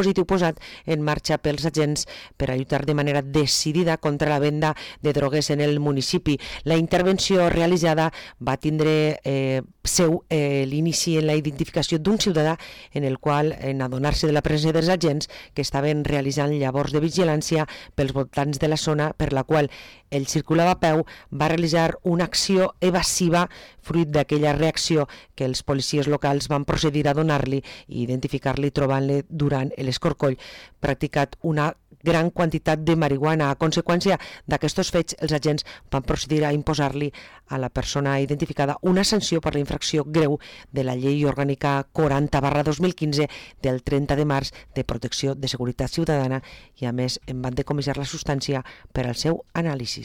dispositiu posat en marxa pels agents per a lluitar de manera decidida contra la venda de drogues en el municipi. La intervenció realitzada va tindre l'inici en la identificació d'un ciutadà en el qual, en adonar-se de la presència dels agents que estaven realitzant llavors de vigilància pels voltants de la zona per la qual ell circulava a peu, va realitzar una acció evasiva fruit d'aquella reacció que els policies locals van procedir a donar-li i identificar-li trobant-li durant l'escorcoll practicat una gran quantitat de marihuana. A conseqüència d'aquests fets, els agents van procedir a imposar-li a la persona identificada una sanció per la infracció greu de la Llei Orgànica 40/2015 del 30 de març de protecció de seguretat ciutadana i, a més, en van decomissar la substància per al seu anàlisi.